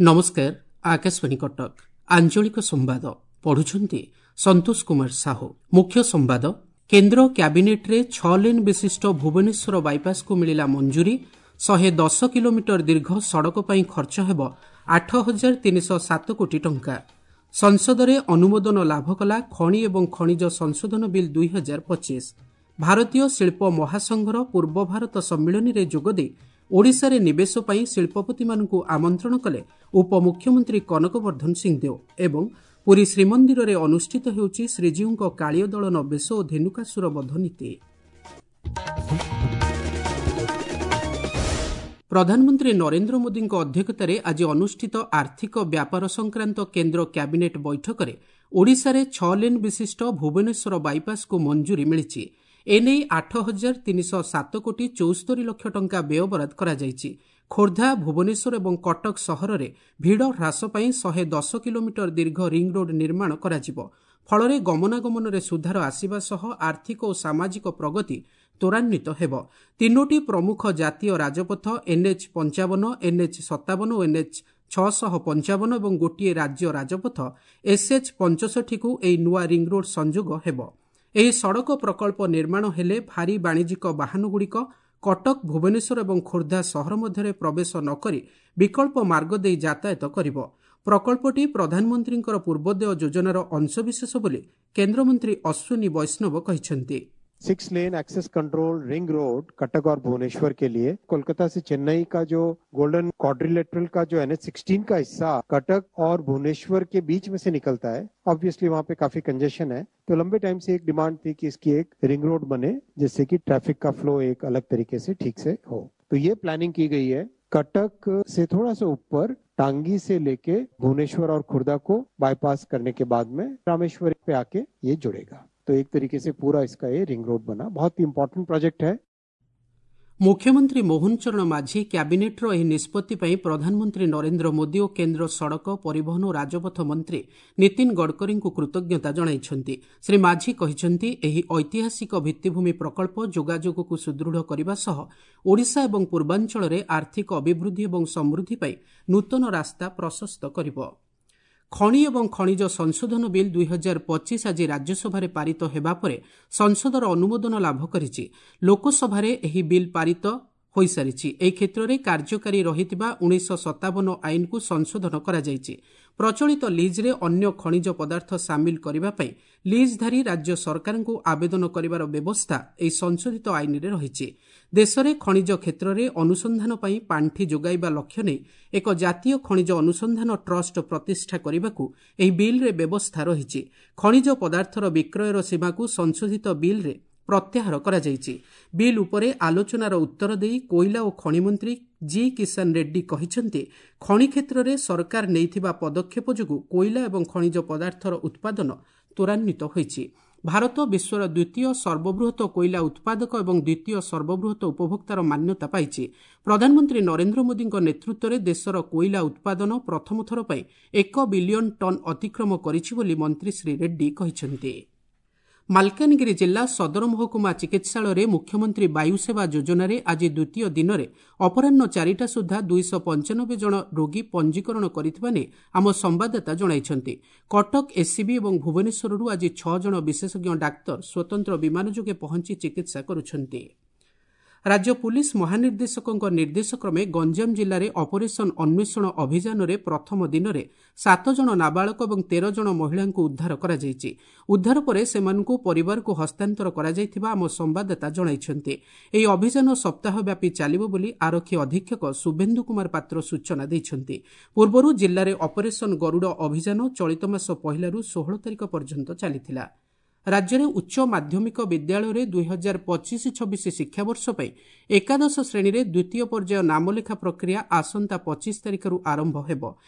ନମସ୍କାର, ଆକାଶବାଣୀ କଟକ। ଆଞ୍ଚଳିକ ସମ୍ବାଦ ପଢୁଛନ୍ତି ସନ୍ତୋଷ କୁମାର ସାହୁ। ମୁଖ୍ୟ ସମ୍ବାଦ। କେନ୍ଦ୍ର କ୍ୟାବିନେଟ୍ରେ 6 ଲେନ୍ ବିଶିଷ୍ଟ ଭୁବନେଶ୍ୱର ବାଇପାସ୍କୁ ମିଳିଲା ମଞ୍ଜୁରୀ। 110 କିଲୋମିଟର ଦୀର୍ଘ ସଡ଼କ ପାଇଁ ଖର୍ଚ୍ଚ ହେବ 8307 କୋଟି ଟଙ୍କା। ସଂସଦରେ ଅନୁମୋଦନ ଲାଭ କଲା ଖଣି ଏବଂ ଖଣିଜ ସଂଶୋଧନ ବିଲ୍ 2025। ଭାରତୀୟ ଶିଳ୍ପ ମହାସଂଘର ପୂର୍ବ ଭାରତ ସମ୍ମିଳନୀରେ ଯୋଗଦେଇ ଓଡ଼ିଶାରେ ନିବେଶ ପାଇଁ ଶିଳ୍ପପତିମାନଙ୍କୁ ଆମନ୍ତ୍ରଣ କଲେ ଉପମୁଖ୍ୟମନ୍ତ୍ରୀ କନକ ବର୍ଦ୍ଧନ ସିଂହଦେଓ। ଏବଂ ପୁରୀ ଶ୍ରୀମନ୍ଦିରରେ ଅନୁଷ୍ଠିତ ହେଉଛି ଶ୍ରୀଜୀଉଙ୍କ କାଳୀୟ ଦଳନ ବେଶ ଓ ଧେନୁକାସୁର ବଧ ନୀତି। ପ୍ରଧାନମନ୍ତ୍ରୀ ନରେନ୍ଦ୍ର ମୋଦିଙ୍କ ଅଧ୍ୟକ୍ଷତାରେ ଆଜି ଅନୁଷ୍ଠିତ ଆର୍ଥିକ ବ୍ୟାପାର ସଂକ୍ରାନ୍ତ କେନ୍ଦ୍ର କ୍ୟାବିନେଟ୍ ବୈଠକରେ ଓଡ଼ିଶାରେ 6 ଲେନ୍ ବିଶିଷ୍ଟ ଭୁବନେଶ୍ୱର ବାଇପାସ୍କୁ ମଞ୍ଜୁରୀ ମିଳିଛି। ଏନେଇ 8307 କୋଟି 74 ଲକ୍ଷ ଟଙ୍କା ବ୍ୟୟବରାଦ କରାଯାଇଛି। ଖୋର୍ଦ୍ଧା, ଭୁବନେଶ୍ୱର ଏବଂ କଟକ ସହରରେ ଭିଡ଼ ହ୍ରାସ ପାଇଁ 110 କିଲୋମିଟର ଦୀର୍ଘ ରିଙ୍ଗରୋଡ୍ ନିର୍ମାଣ କରାଯିବ। ଫଳରେ ଗମନାଗମନରେ ସୁଧାର ଆସିବା ସହ ଆର୍ଥିକ ଓ ସାମାଜିକ ପ୍ରଗତି ତ୍ୱରାନ୍ୱିତ ହେବ। ତିନୋଟି ପ୍ରମୁଖ ଜାତୀୟ ରାଜପଥ ଏନ୍ଏଚ୍ 55, ଏନ୍ଏଚ୍ 57 ଓ ଏନ୍ଏଚ୍ 655 ଏବଂ ଗୋଟିଏ ରାଜ୍ୟ ରାଜପଥ ଏସ୍ଏଚ୍ 65କୁ ଏହି ନୂଆ ରିଙ୍ଗରୋଡ୍ ସଂଯୋଗ ହେବ। ଏହି ସଡ଼କ ପ୍ରକଳ୍ପ ନିର୍ମାଣ ହେଲେ ଭାରୀ ବାଣିଜ୍ୟିକ ବାହନଗୁଡ଼ିକ କଟକ, ଭୁବନେଶ୍ୱର ଏବଂ ଖୋର୍ଦ୍ଧା ସହର ମଧ୍ୟରେ ପ୍ରବେଶ ନ କରି ବିକଳ୍ପ ମାର୍ଗ ଦେଇ ଯାତାୟାତ କରିବ। ପ୍ରକଳ୍ପଟି ପ୍ରଧାନମନ୍ତ୍ରୀଙ୍କର ପୂର୍ବୋଦୟ ଯୋଜନାର ଅଂଶବିଶେଷ ବୋଲି କେନ୍ଦ୍ରମନ୍ତ୍ରୀ ଅଶ୍ୱିନୀ ବୈଷ୍ଣବ କହିଛନ୍ତି। 6 lane access control ring road Cuttack और भुवनेश्वर के लिए, कोलकाता से चेन्नई का जो गोल्डन क्वाड्रिलेटरल का जो NH 16 का हिस्सा कटक और भुवनेश्वर के बीच में से निकलता है, ऑब्वियसली वहाँ पे काफी कंजेशन है। तो लंबे टाइम से एक डिमांड थी कि इसकी एक रिंग रोड बने जिससे कि ट्रैफिक का फ्लो एक अलग तरीके से ठीक से हो। तो ये प्लानिंग की गई है। कटक से थोड़ा सा ऊपर टांगी से लेके भुवनेश्वर और खुर्दा को बाईपास करने के बाद में रामेश्वर पे आके ये जुड़ेगा। तो एक तरीके से पूरा इसका ये रिंग रोड बना। बहुत ही इंपॉर्टेंट प्रोजेक्ट है। ମୁଖ୍ୟମନ୍ତ୍ରୀ ମୋହନ ଚରଣ ମାଝୀ କ୍ୟାବିନେଟ୍ର ଏହି ନିଷ୍ପତ୍ତି ପାଇଁ ପ୍ରଧାନମନ୍ତ୍ରୀ ନରେନ୍ଦ୍ର ମୋଦି ଓ କେନ୍ଦ୍ର ସଡ଼କ ପରିବହନ ଓ ରାଜପଥ ମନ୍ତ୍ରୀ ନୀତିନ ଗଡ଼କରୀଙ୍କୁ କୃତଜ୍ଞତା ଜଣାଇଛନ୍ତି। ଶ୍ରୀ ମାଝୀ କହିଛନ୍ତି, ଏହି ଐତିହାସିକ ଭିତ୍ତିଭୂମି ପ୍ରକଳ୍ପ ଯୋଗାଯୋଗକୁ ସୁଦୃଢ଼ କରିବା ସହ ଓଡ଼ିଶା ଏବଂ ପୂର୍ବାଞ୍ଚଳରେ ଆର୍ଥିକ ଅଭିବୃଦ୍ଧି ଏବଂ ସମୃଦ୍ଧି ପାଇଁ ନୂତନ ରାସ୍ତା ପ୍ରଶସ୍ତ କରିବ। ଖଣି ଏବଂ ଖଣିଜ ସଂଶୋଧନ ବିଲ୍ 2025 ଆଜି ରାଜ୍ୟସଭାରେ ପାରିତ ହେବା ପରେ ସଂସଦର ଅନୁମୋଦନ ଲାଭ କରିଛି। ଲୋକସଭାରେ ଏହି ବିଲ୍ ପାରିତ ହୋଇସାରିଛି। ଏହି କ୍ଷେତ୍ରରେ କାର୍ଯ୍ୟକାରୀ ରହିଥିବା 1957 ଆଇନକୁ ସଂଶୋଧନ କରାଯାଇଛି। ପ୍ରଚଳିତ ଲିଜ୍ରେ ଅନ୍ୟ ଖଣିଜ ପଦାର୍ଥ ସାମିଲ କରିବା ପାଇଁ ଲିଜ୍ଧାରୀ ରାଜ୍ୟ ସରକାରଙ୍କୁ ଆବେଦନ କରିବାର ବ୍ୟବସ୍ଥା ଏହି ସଂଶୋଧିତ ଆଇନରେ ରହିଛି। ଦେଶରେ ଖଣିଜ କ୍ଷେତ୍ରରେ ଅନୁସନ୍ଧାନ ପାଇଁ ପାଣ୍ଠି ଯୋଗାଇବା ଲକ୍ଷ୍ୟ ନେଇ ଏକ ଜାତୀୟ ଖଣିଜ ଅନୁସନ୍ଧାନ ଟ୍ରଷ୍ଟ ପ୍ରତିଷ୍ଠା କରିବାକୁ ଏହି ବିଲ୍ରେ ବ୍ୟବସ୍ଥା ରହିଛି। ଖଣିଜ ପଦାର୍ଥର ବିକ୍ରୟର ସୀମାକୁ ସଂଶୋଧିତ ବିଲ୍ରେ ପ୍ରତ୍ୟାହାର କରାଯାଇଛି। ବିଲ୍ ଉପରେ ଆଲୋଚନାର ଉତ୍ତର ଦେଇ କୋଇଲା ଓ ଖଣି ମନ୍ତ୍ରୀ ଜି କିଷାନ ରେଡ୍ଡି କହିଛନ୍ତି, ଖଣି କ୍ଷେତ୍ରରେ ସରକାର ନେଇଥିବା ପଦକ୍ଷେପ ଯୋଗୁଁ କୋଇଲା ଏବଂ ଖଣିଜ ପଦାର୍ଥର ଉତ୍ପାଦନ ତ୍ୱରାନ୍ୱିତ ହୋଇଛି। ଭାରତ ବିଶ୍ୱର ଦ୍ୱିତୀୟ ସର୍ବବୃହତ କୋଇଲା ଉତ୍ପାଦକ ଏବଂ ଦ୍ୱିତୀୟ ସର୍ବବୃହତ ଉପଭୋକ୍ତାର ମାନ୍ୟତା ପାଇଛି। ପ୍ରଧାନମନ୍ତ୍ରୀ ନରେନ୍ଦ୍ର ମୋଦିଙ୍କ ନେତୃତ୍ୱରେ ଦେଶର କୋଇଲା ଉତ୍ପାଦନ ପ୍ରଥମ ଥର ପାଇଁ 1 ବିଲିୟନ ଟନ୍ ଅତିକ୍ରମ କରିଛି ବୋଲି ମନ୍ତ୍ରୀ ଶ୍ରୀ ରେଡ୍ଡି କହିଛନ୍ତି। ମାଲକାନଗିରି ଜିଲ୍ଲା ସଦର ମହକୁମା ଚିକିତ୍ସାଳୟରେ ମୁଖ୍ୟମନ୍ତ୍ରୀ ବାୟୁସେବା ଯୋଜନାରେ ଆଜି ଦ୍ୱିତୀୟ ଦିନରେ ଅପରାହ୍ନ 4ଟା ସୁଦ୍ଧା 295 ଜଣ ରୋଗୀ ପଞ୍ଜୀକରଣ କରିଥିବା ନେଇ ଆମ ସମ୍ବାଦଦାତା ଜଣାଇଛନ୍ତି। କଟକ ଏସ୍ସିବି ଏବଂ ଭୁବନେଶ୍ୱରରୁ ଆଜି 6 ଜଣ ବିଶେଷଜ୍ଞ ଡାକ୍ତର ସ୍ୱତନ୍ତ୍ର ବିମାନ ଯୋଗେ ପହଞ୍ଚି ଚିକିତ୍ସା କରୁଛନ୍ତି। ରାଜ୍ୟ ପୁଲିସ୍ ମହାନିର୍ଦ୍ଦେଶକଙ୍କ ନିର୍ଦ୍ଦେଶକ୍ରମେ ଗଞ୍ଜାମ ଜିଲ୍ଲାରେ ଅପରେସନ୍ ଅନ୍ୱେଷଣ ଅଭିଯାନରେ ପ୍ରଥମ ଦିନରେ 7 ଜଣ ନାବାଳକ ଏବଂ 13 ଜଣ ମହିଳାଙ୍କୁ ଉଦ୍ଧାର କରାଯାଇଛି। ଉଦ୍ଧାର ପରେ ସେମାନଙ୍କୁ ପରିବାରକୁ ହସ୍ତାନ୍ତର କରାଯାଇଥିବା ଆମ ସମ୍ବାଦଦାତା ଜଣାଇଛନ୍ତି। ଏହି ଅଭିଯାନ ସପ୍ତାହବ୍ୟାପୀ ଚାଲିବ ବୋଲି ଆରକ୍ଷୀ ଅଧୀକ୍ଷକ ଶୁଭେନ୍ଦୁ କୁମାର ପାତ୍ର ସୂଚନା ଦେଇଛନ୍ତି। ପୂର୍ବରୁ ଜିଲ୍ଲାରେ ଅପରେସନ୍ ଗରୁଡ଼ ଅଭିଯାନ ଚଳିତ ମାସ 1ରୁ 16 ତାରିଖ ପର୍ଯ୍ୟନ୍ତ ଚାଲିଥିଲା। ରାଜ୍ୟରେ ଉଚ୍ଚ ମାଧ୍ୟମିକ ବିଦ୍ୟାଳୟରେ 2025-26 ଶିକ୍ଷାବର୍ଷ ପାଇଁ ଏକାଦଶ ଶ୍ରେଣୀରେ ଦ୍ୱିତୀୟ ପର୍ଯ୍ୟାୟ ନାମଲେଖା ପ୍ରକ୍ରିୟା ଆସନ୍ତା 25 ତାରିଖରୁ ଆରମ୍ଭ ହେବ।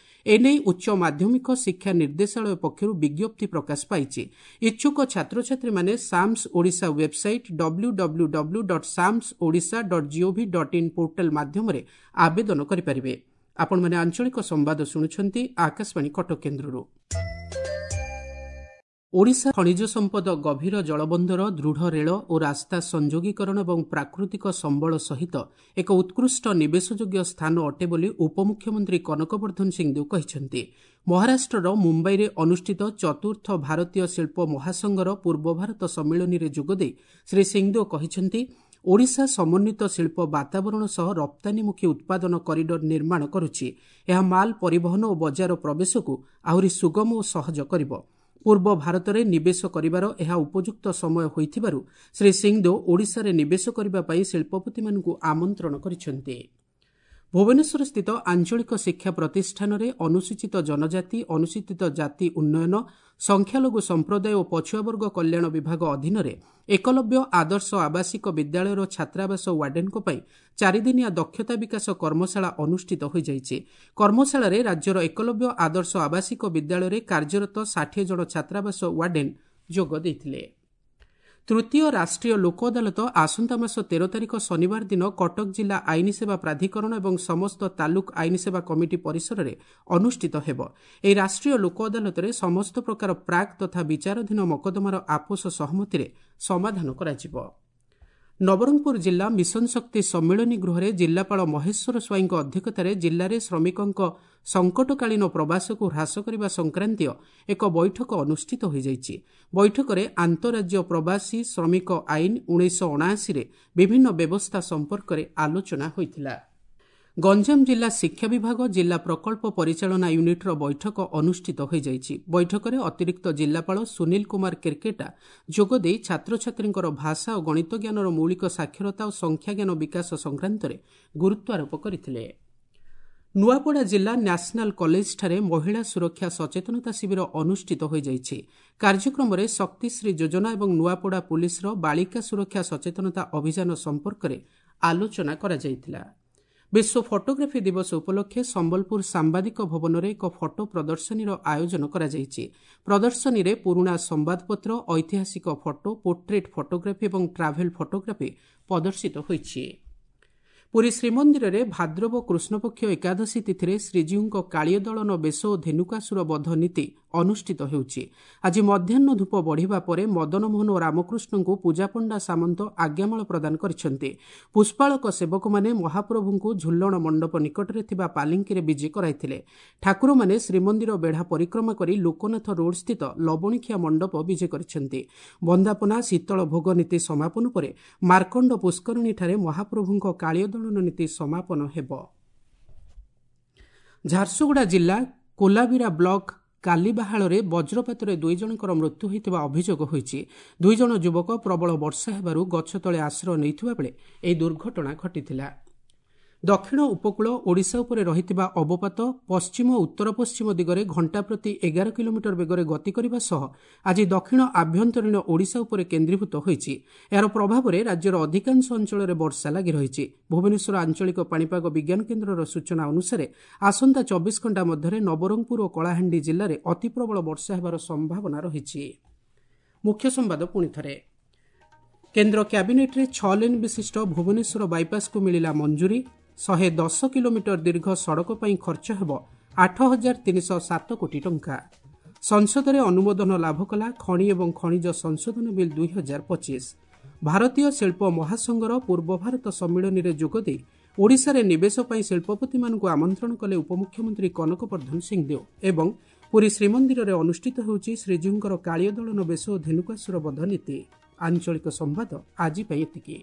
ଏନେଇ ଉଚ୍ଚ ମାଧ୍ୟମିକ ଶିକ୍ଷା ନିର୍ଦ୍ଦେଶାଳୟ ପକ୍ଷରୁ ବିଜ୍ଞପ୍ତି ପ୍ରକାଶ ପାଇଛି। ଇଚ୍ଛୁକ ଛାତ୍ରଛାତ୍ରୀମାନେ SAMS Odisha website W W W dot SAMS Odisha dot gov dot in portal ମାଧ୍ୟମରେ ଆବେଦନ କରିପାରିବେ। ଆପଣମାନେ ଆଞ୍ଚଳିକ ସମ୍ବାଦ ଶୁଣୁଛନ୍ତି ଆକାଶବାଣୀ କଟକ କେନ୍ଦ୍ରରୁ। ଓଡ଼ିଶା ଖଣିଜ ସମ୍ପଦ, ଗଭୀର ଜଳବନ୍ଦର, ଦୃଢ଼ ରେଳ ଓ ରାସ୍ତା ସଂଯୋଗୀକରଣ ଏବଂ ପ୍ରାକୃତିକ ସମ୍ବଳ ସହିତ ଏକ ଉତ୍କୃଷ୍ଟ ନିବେଶଯୋଗ୍ୟ ସ୍ଥାନ ଅଟେ ବୋଲି ଉପମୁଖ୍ୟମନ୍ତ୍ରୀ କନକବର୍ଦ୍ଧନ ସିଂଦେଓ କହିଛନ୍ତି। ମହାରାଷ୍ଟ୍ରର ମୁମ୍ବାଇରେ ଅନୁଷ୍ଠିତ ଚତୁର୍ଥ ଭାରତୀୟ ଶିଳ୍ପ ମହାସଂଘର ପୂର୍ବ ଭାରତ ସମ୍ମିଳନୀରେ ଯୋଗଦେଇ ଶ୍ରୀ ସିଂଦେଓ କହିଛନ୍ତି, ଓଡ଼ିଶା ସମନ୍ୱିତ ଶିଳ୍ପ ବାତାବରଣ ସହ ରପ୍ତାନୀମୁଖୀ ଉତ୍ପାଦନ କରିଡର ନିର୍ମାଣ କରୁଛି। ଏହା ମାଲ ପରିବହନ ଓ ବଜାର ପ୍ରବେଶକୁ ଆହୁରି ସୁଗମ ଓ ସହଜ କରିବ। ପୂର୍ବ ଭାରତରେ ନିବେଶ କରିବାର ଏହା ଉପଯୁକ୍ତ ସମୟ ହୋଇଥିବାରୁ ଶ୍ରୀ ସିଂଦେଓ ଓଡ଼ିଶାରେ ନିବେଶ କରିବା ପାଇଁ ଶିଳ୍ପପତିମାନଙ୍କୁ ଆମନ୍ତ୍ରଣ କରିଛନ୍ତି। ଭୁବନେଶ୍ୱରସ୍ଥିତ ଆଞ୍ଚଳିକ ଶିକ୍ଷା ପ୍ରତିଷ୍ଠାନରେ ଅନୁସୂଚିତ ଜନଜାତି, ଅନୁସୂଚିତ ଜାତି ଉନ୍ନୟନ, ସଂଖ୍ୟାଲଘୁ ସମ୍ପ୍ରଦାୟ ଓ ପଛୁଆବର୍ଗ କଲ୍ୟାଣ ବିଭାଗ ଅଧୀନରେ ଏକଲବ୍ୟ ଆଦର୍ଶ ଆବାସିକ ବିଦ୍ୟାଳୟର ଛାତ୍ରାବାସ ୱାର୍ଡେନଙ୍କ ପାଇଁ ଚାରିଦିନିଆ ଦକ୍ଷତା ବିକାଶ କର୍ମଶାଳା ଅନୁଷ୍ଠିତ ହୋଇଯାଇଛି। କର୍ମଶାଳାରେ ରାଜ୍ୟର ଏକଲବ୍ୟ ଆଦର୍ଶ ଆବାସିକ ବିଦ୍ୟାଳୟରେ କାର୍ଯ୍ୟରତ 60 ଜଣ ଛାତ୍ରାବାସ ୱାର୍ଡେନ ଯୋଗ ଦେଇଥିଲେ। ତୃତୀୟ ରାଷ୍ଟ୍ରୀୟ ଲୋକ ଅଦାଲତ ଆସନ୍ତା ମାସ 13 ତାରିଖ ଶନିବାର ଦିନ କଟକ ଜିଲ୍ଲା ଆଇନ ସେବା ପ୍ରାଧିକରଣ ଏବଂ ସମସ୍ତ ତାଲୁକ ଆଇନ ସେବା କମିଟି ପରିସରରେ ଅନୁଷ୍ଠିତ ହେବ। ଏହି ରାଷ୍ଟ୍ରୀୟ ଲୋକ ଅଦାଲତରେ ସମସ୍ତ ପ୍ରକାର ପ୍ରାକ୍ ତଥା ବିଚାରାଧୀନ ମକଦ୍ଦମାର ଆପୋଷ ସହମତିରେ ସମାଧାନ କରାଯିବ। ନବରଙ୍ଗପୁର ଜିଲ୍ଲା ମିଶନ ଶକ୍ତି ସମ୍ମିଳନୀ ଗୃହରେ ଜିଲ୍ଲାପାଳ ମହେଶ୍ୱର ସ୍ୱାଇଁଙ୍କ ଅଧ୍ୟକ୍ଷତାରେ ଜିଲ୍ଲାରେ ଶ୍ରମିକଙ୍କ ସଙ୍କଟକାଳୀନ ପ୍ରବାସକୁ ହ୍ରାସ କରିବା ସଂକ୍ରାନ୍ତୀୟ ଏକ ବୈଠକ ଅନୁଷ୍ଠିତ ହୋଇଯାଇଛି। ବୈଠକରେ ଆନ୍ତଃରାଜ୍ୟ ପ୍ରବାସୀ ଶ୍ରମିକ ଆଇନ 1979ରେ ବିଭିନ୍ନ ବ୍ୟବସ୍ଥା ସମ୍ପର୍କରେ ଆଲୋଚନା ହୋଇଥିଲା। ଗଞ୍ଜାମ ଜିଲ୍ଲା ଶିକ୍ଷା ବିଭାଗ ଜିଲ୍ଲା ପ୍ରକଳ୍ପ ପରିଚାଳନା ୟୁନିଟ୍ର ବୈଠକ ଅନୁଷ୍ଠିତ ହୋଇଯାଇଛି। ବୈଠକରେ ଅତିରିକ୍ତ ଜିଲ୍ଲାପାଳ ସୁନୀଲ କୁମାର କେର୍କେଟା ଯୋଗଦେଇ ଛାତ୍ରଛାତ୍ରୀଙ୍କର ଭାଷା ଓ ଗଣିତ ଜ୍ଞାନର ମୌଳିକ ସାକ୍ଷରତା ଓ ସଂଖ୍ୟାଜ୍ଞାନ ବିକାଶ ସଂକ୍ରାନ୍ତରେ ଗୁରୁତ୍ୱାରୋପ କରିଥିଲେ। ନୂଆପଡ଼ା ଜିଲ୍ଲା ନ୍ୟାସନାଲ କଲେଜଠାରେ ମହିଳା ସୁରକ୍ଷା ସଚେତନତା ଶିବିର ଅନୁଷ୍ଠିତ ହୋଇଯାଇଛି। କାର୍ଯ୍ୟକ୍ରମରେ ଶକ୍ତିଶ୍ରୀ ଯୋଜନା ଏବଂ ନୂଆପଡ଼ା ପୁଲିସର ବାଳିକା ସୁରକ୍ଷା ସଚେତନତା ଅଭିଯାନ ସମ୍ପର୍କରେ ଆଲୋଚନା କରାଯାଇଥିଲା। ବିଶ୍ୱ ଫଟୋଗ୍ରାଫି ଦିବସ ଉପଲକ୍ଷେ ସମ୍ବଲପୁର ସାମ୍ବାଦିକ ଭବନରେ ଏକ ଫଟୋ ପ୍ରଦର୍ଶନୀର ଆୟୋଜନ କରାଯାଇଛି। ପ୍ରଦର୍ଶନୀରେ ପୁରୁଣା ସମ୍ବାଦପତ୍ର, ଐତିହାସିକ ଫଟୋ, ପୋର୍ଟ୍ରେଟ୍ ଫଟୋଗ୍ରାଫି ଏବଂ ଟ୍ରାଭେଲ୍ ଫଟୋଗ୍ରାଫି ପ୍ରଦର୍ଶିତ ହୋଇଛି। ପୁରୀ ଶ୍ରୀମନ୍ଦିରରେ ଭାଦ୍ରବ କୃଷ୍ଣପକ୍ଷ ଏକାଦଶୀ ତିଥିରେ ଶ୍ରୀଜୀଉଙ୍କ କାଳିୟଦଳନ ବେଶ ଓ ଧେନୁକାସୁର ବଧ ନୀତି ଅନୁଷ୍ଠିତ ହେଉଛି। ଆଜି ମଧ୍ୟାହ୍ନ ଧୂପ ବଢ଼ିବା ପରେ ମଦନମୋହନ ଓ ରାମକୃଷ୍ଣଙ୍କୁ ପୂଜାପଣ୍ଡା ସାମନ୍ତ ଆଜ୍ଞାମାଳ ପ୍ରଦାନ କରିଛନ୍ତି। ପୁଷ୍ପାଳକ ସେବକମାନେ ମହାପ୍ରଭୁଙ୍କୁ ଝୁଲଣ ମଣ୍ଡପ ନିକଟରେ ଥିବା ପାଲିଙ୍କିରେ ବିଜେ କରାଇଥିଲେ। ଠାକୁରମାନେ ଶ୍ରୀମନ୍ଦିର ବେଢ଼ା ପରିକ୍ରମା କରି ଲୋକନାଥ ରୋଡ୍ସ୍ଥିତ ଲବଣିଖିଆ ମଣ୍ଡପ ବିଜେ କରିଛନ୍ତି। ବନ୍ଦାପନା, ଶୀତଳ ଭୋଗ ନୀତି ସମାପନ ପରେ ମାର୍କଣ୍ଡ ପୁଷ୍କରିଣୀଠାରେ ମହାପ୍ରଭୁଙ୍କ କାଳିୟଦଳନ ନୀତି ସମାପନ ହେବ। ଝାରସୁଗୁଡ଼ା ଜିଲ୍ଲା କୋଲାବିରା ବ୍ଲକ କାଲିବାହାଳରେ ବଜ୍ରପାତରେ 2 ଜଣଙ୍କର ମୃତ୍ୟୁ ହୋଇଥିବା ଅଭିଯୋଗ ହୋଇଛି। 2 ଜଣ ଯୁବକ ପ୍ରବଳ ବର୍ଷା ହେବାରୁ ଗଛ ତଳେ ଆଶ୍ରୟ ନେଇଥିବା ବେଳେ ଏହି ଦୁର୍ଘଟଣା ଘଟିଥିଲା। ଦକ୍ଷିଣ ଉପକୂଳ ଓଡ଼ିଶା ଉପରେ ରହିଥିବା ଅବପାତ ପଶ୍ଚିମ ଉତ୍ତର ପଶ୍ଚିମ ଦିଗରେ ଘଣ୍ଟା ପ୍ରତି 11 କିଲୋମିଟର ବେଗରେ ଗତି କରିବା ସହ ଆଜି ଦକ୍ଷିଣ ଆଭ୍ୟନ୍ତରୀଣ ଓଡ଼ିଶା ଉପରେ କେନ୍ଦ୍ରୀଭୂତ ହୋଇଛି। ଏହାର ପ୍ରଭାବରେ ରାଜ୍ୟର ଅଧିକାଂଶ ଅଞ୍ଚଳରେ ବର୍ଷା ଲାଗି ରହିଛି। ଭୁବନେଶ୍ୱର ଆଞ୍ଚଳିକ ପାଣିପାଗ ବିଜ୍ଞାନ କେନ୍ଦ୍ରର ସୂଚନା ଅନୁସାରେ ଆସନ୍ତା 24 ଘଣ୍ଟା ମଧ୍ୟରେ ନବରଙ୍ଗପୁର ଓ କଳାହାଣ୍ଡି ଜିଲ୍ଲାରେ ଅତିପ୍ରବଳ ବର୍ଷା ହେବାର ସମ୍ଭାବନା ରହିଛି। ମୁଖ୍ୟ ସମ୍ବାଦ ପୁଣି ଥରେ। କେନ୍ଦ୍ର କ୍ୟାବିନେଟ୍ରେ 6 ଲେନ୍ ବିଶିଷ୍ଟ ଭୁବନେଶ୍ୱର ବାଇପାସ୍କୁ ମିଳିଲା ମଞ୍ଜୁରୀ। 110 କିଲୋମିଟର ଦୀର୍ଘ ସଡ଼କ ପାଇଁ ଖର୍ଚ୍ଚ ହେବ 8,307 କୋଟି ଟଙ୍କା। ସଂସଦରେ ଅନୁମୋଦନ ଲାଭ କଲା ଖଣି ଏବଂ ଖଣିଜ ସଂଶୋଧନ ବିଲ୍ 2025। ଭାରତୀୟ ଶିଳ୍ପ ମହାସଂଘର ପୂର୍ବ ଭାରତ ସମ୍ମିଳନୀରେ ଯୋଗଦେଇ ଓଡ଼ିଶାରେ ନିବେଶ ପାଇଁ ଶିଳ୍ପପତିମାନଙ୍କୁ ଆମନ୍ତ୍ରଣ କଲେ ଉପମୁଖ୍ୟମନ୍ତ୍ରୀ କନକବର୍ଦ୍ଧନ ସିଂଦେଓ। ଏବଂ ପୁରୀ ଶ୍ରୀମନ୍ଦିରରେ ଅନୁଷ୍ଠିତ ହେଉଛି ଶ୍ରୀଜୀଉଙ୍କର କାଳିୟଦଳନ ବେଶ ଓ ଧେନୁକାସୁର ବଧ ନୀତି। ଆଞ୍ଚଳିକ ସମ୍ବାଦ ଆଜି ପାଇଁ ଏତିକି।